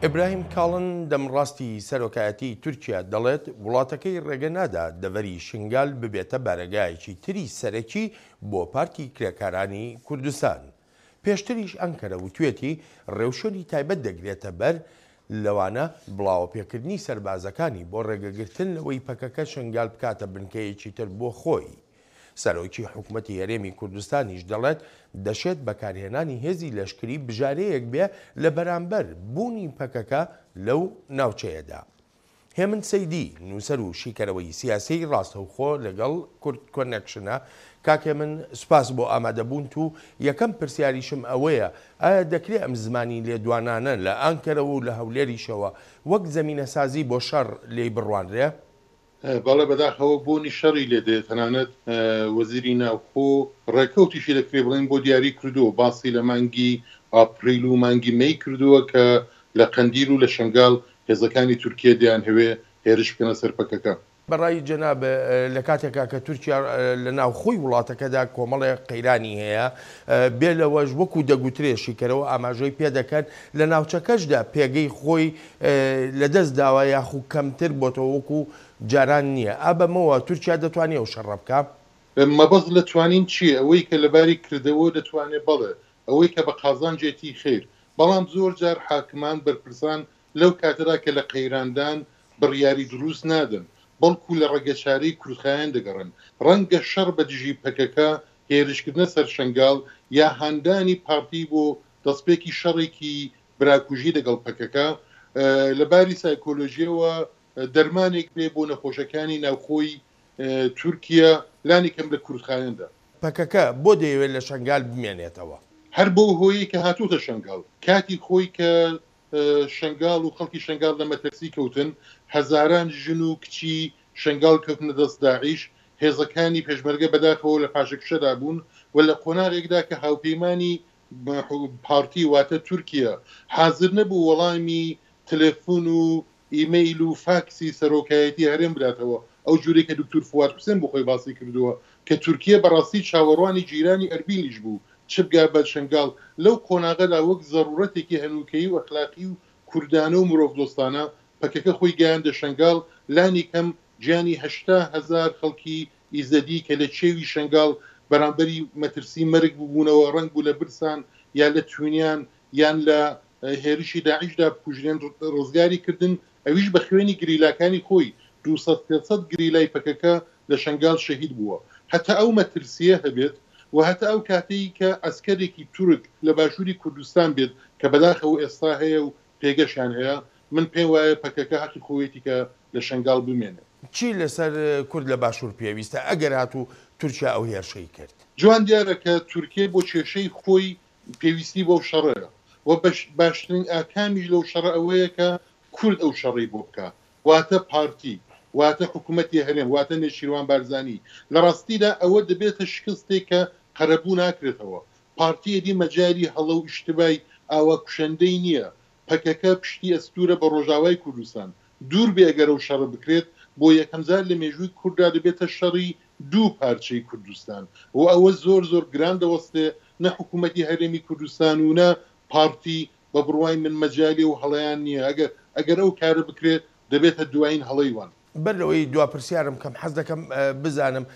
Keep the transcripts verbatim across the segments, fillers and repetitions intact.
ئیبراهیم کاڵن دەمڕاستی سەرۆکایەتی تورکیا دەڵێت وڵاتەکەی ڕێگە نادا دەڤەری شنگال ببێتە بارەگایەکی تری سەرەکی بۆ پارتی کرێکارانی کوردستان. پێشتریش ئەنکەرە وتوێتی ڕێوشوێنی تایبەت دەگرێتە بەر، لەوانە بڵاوەپێکردنی سەربازەکانی بۆ ڕێگەگرتن لەوەی پەکەکە شنگال بکاتە بنکەیەکی تر بۆ خۆی. سەرۆکی حکومەتی هەرێمی کوردستانیش دەڵێت دەشێت بەکارهێنانی هێزی لەشکری بژارەیەک بێ لە بەرامبەر بوونی پەکەکە لەو ناوچەیەدا. هێمن سەیدی نووسەر و شیکەرەوەی سیاسی ڕاستەوخۆ لەگەڵ کورد کۆنێکشنە. کاک هێمن سوپاس بۆ ئامادەبوونت و یەکەم پرسیاریشم ئەوەیە ئایا دەکرێت ئەم زمانی لێدوانانە لە ئانکەرەوە و لە هەولێریشەوە وەک زەمینەسازی بۆ شەڕ لێی بڕوانرێ؟ بەڵێ، بەداخەوە بۆنی شەڕی لێ دێت. تەنانەت وەزیری ناوخۆ ڕێکەوتیشی دەکرێت بڵێن بۆ دیاری کردووە، باسی لە مانگی ئاپریل و مانگی مەی کردووە کە لە قەندیل و لە شنگال هێزەکانی تورکیە دەیانهەوێ هێرش بکەنە سەر پەکەکە. بەڕای جەناب لە کاتێکا کە تورکیا لە ناوخۆی وڵاتەکەدا کۆمەڵێک قەیرانی هەیە، بێ لەوەش وەکو دەگوترێ شیکەرەوە ئاماژەی پێدەکەن لە ناوچەکەشدا پێگەی خۆی لەدەست داوە یاخو کەمتر بۆتەوە وەکو جاران نییە، ئابەمەوە تورکیا دەتوانێت ئەو شەڕە بکا؟ مەبەست لە توانین چییە؟ ئەوەی کە لەباری کردەوە دەتوانێت بەڵێ، ئەوەی کە بە قازانجێتی خیر، بەڵام زۆر جار حاکمان بەرپرسان لەو کاتەدا کە لە قەیراندان بڕیاری دروست نادەن، بەڵکو لە ڕێگەچارەی کورتخایەن دەگەڕن. ڕەنگە شەڕ بە دژی پەکەکە، هێرشکردنە سەر شنگال یا هاندانی پارتی بۆ دەستپێکی شەڕێکی براکوژی لەگەڵ پەکەکە لەباری سایکۆلۆژیەوە دەرمانێک بێ بۆ نەخۆشەکانی ناوخۆی تورکیا، لانی کەم لە کورتخایەندا. پەکەکە بۆ دەیەوێت لە شنگال بمێنێتەوە؟ هەر بۆ هۆیەی کە هاتووتە شنگال، کاتی خۆی کە شنگال و خەڵکی شنگال لە مەترسی کەوتن، هەزاران ژن و کچی شنگال کەوتنە دەست داعش، هێزەکانی پێشمەرگە بەداخەوە لە پاشەکشەدا بوون و لە قۆناغێکدا کە هاوپەیمانی پارتی واتە تورکیا حاضر نەبوو وەڵامی تەلەفۆن و ئیمەیل و فاکسی سەرۆکایەتی هەرێم بداتەوە، ئەو جوورەی کە دکتور فواد حوسێن بۆ خۆی باسی کردووە کە تورکیا بەڕاستی چاوەڕوانی جیرانی ئەربیلیش بوو چ بگا بە شنگال، لەو قۆناغەدا وەک زەڕورەتێکی هەنووکەیی و ئەخلاقی و کوردانە و مرۆڤدۆستانە پەکەکە خۆی گەیاندە شنگال، لانی کەم گیانی هەشتا هەزار خەڵکی ئیزەدی کە لە چێوی شنگال بەرامبەری مەترسی مەرگ ببوونەوە، ڕەنگ بوو لە برسان یا لە توونیان یان لە هێرشی داعشدا بکوژرێن ڕزگاری کردن، ئەویش بە خوێنی گریلاکانی خۆی دووسەد سێسەد گریلای پەکەکە لە شنگال شەهید بووە. هەتا ئەو مەترسیە هەبێت و هەتا ئەو کاتەی کە ئەسکەرێکی تورک لە باشووری کوردستان بێت کە بەداخەوە ئێستا هەیە و پێگەشیان هەیە، من پێم وایە پەکەکە حەقی خۆیەتی کە لە شنگال بمێنێت. چی لەسەر کورد لە باشوور پێویستە ئەگەر هاتوو تورکیا ئەو هێرشەی کرد؟ جوان دیارە کە تورکیا بۆ کێشەی خۆی پێویستی بۆ شەڕەیە و باشترین ئاکامیش لەو شەڕە ئەوەیە کە کورد ئەو شەڕەی بۆ بکە، واتە پارتی، واتە حکوومەتی هەرێم، واتە نێچیروان بارزانی. لە ڕاستیدا ئەوە دەبێتە شکستێک کە قەرەبوو ناکرێتەوە. پارتی ئەدی مەجاری هەڵە و ئیشتبای ئاوا کوشندەی نییە. پەکەکە پشتی ئەستورە بە ڕۆژاوای کوردستان. دوور بێ ئەگەر ئەو شەڕە بکرێت، بۆ یەکەم جار لە مێژووی کورددا دەبێتە شەڕی دوو پارچەی کوردستان و ئەوە زۆر زۆر گران دەوەستێ، نە حکوومەتی هەرێمی کوردستان و نە پارتی بە بڕوای من مەجالی و هەڵەیان نییە. ئەگەر ئەگەر ئەو کارە بکرێت دەبێتە دوایین هەڵەی وان. بەر لەوەی دوا پرسیارم کەم حەز دەکەم بزانم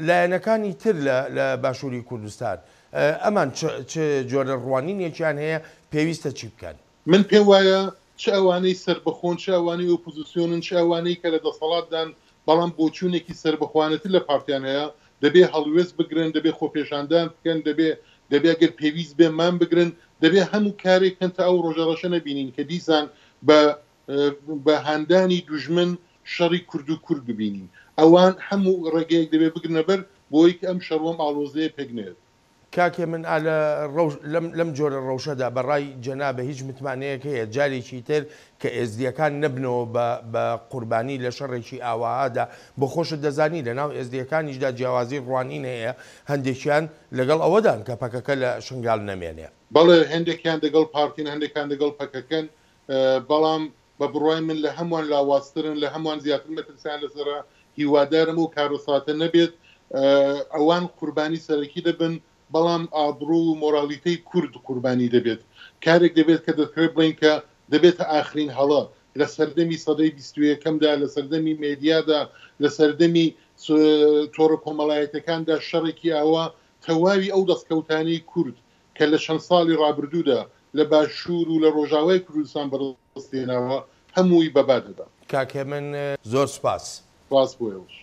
لایەنەکانی تر لە باشووری کوردستان ئەمان چ جۆرە ڕوانینێکیان هەیە، پێویستە چی بکەن؟ من پێم وایە چ ئەوانەی سربەخۆن، چ ئەوانەی ئۆپۆزیسیۆنن، چ ئەوانەی کە لە دەسەڵاتدان بەڵام بۆچوونێکی سربەخوانەتر لە پارتیان هەیە، دەبێ هەڵوێست بگرن، دەبێ خۆپێشاندان بکەن، دەبێ دەبێ ئەگەر پێویست بێ مان بگرن، دەبێ هەموو کارێک کەن تا ئەو ڕۆژە ڕەشە نەبینین کە دیسان بە بە هاندانی دوژمن شەڕی کورد و کورد ببینین. ئەوان هەموو ڕێگەیەک دەبێ بگرنە بەر بۆی کە ئەم شەڕوەم ئاڵۆزەیە پێک نێت. کاکێ من ئالە لەم جۆرە ڕەوشەدا بەڕای جەنابە هیچ متمانەیەک هەیە جارێکی تر کە ئێزدیەکان نەبنەوە بە قوربانی لە شەڕێکی ئاواهادا؟ بۆ خۆشت دەزانی لەناو ئێزدیەکانیشدا جیاوازی ڕوانین هەیە، هەندێکیان لەگەڵ ئەوەدان کە پەکەکە لە شنگال نەمێنێ. بەڵێ، هەندێکیان دەگەڵ پارتین، هەندێکیان دەگەڵ پەکەکەن، بەڵام بە بڕوای من لە هەمووان لاوازترن، لە هەمووان زیاتر مەترسیان لەسەرە. هیوادارم ئەو کارەساتە نەبێت، ئەوان قوربانی سەرەکی دەبن، بەڵام ئابڕوو و مۆرالیتەی کورد قوربانی دەبێت. کارێک دەبێت کە دەکرێت بڵین کە دەبێتە ئاخرین هەڵە لە سەردەمی سەدەی بیست و یەکەمدا، لە سەردەمی مێدیادا، لە سەردەمی تۆڕە کۆمەڵایەتیەکاندا شەڕێکی ئاوا تەواوی ئەو دەستکەوتانەی کورد کە لە چەند ساڵی ڕابردوودا لە باشوور و لە ڕۆژاوای کوردستان بەدەست هێناوە هەمووی بەبا دەدا. کاک هێمن زۆر سوپاس. سوپاس بۆ ئێوەش.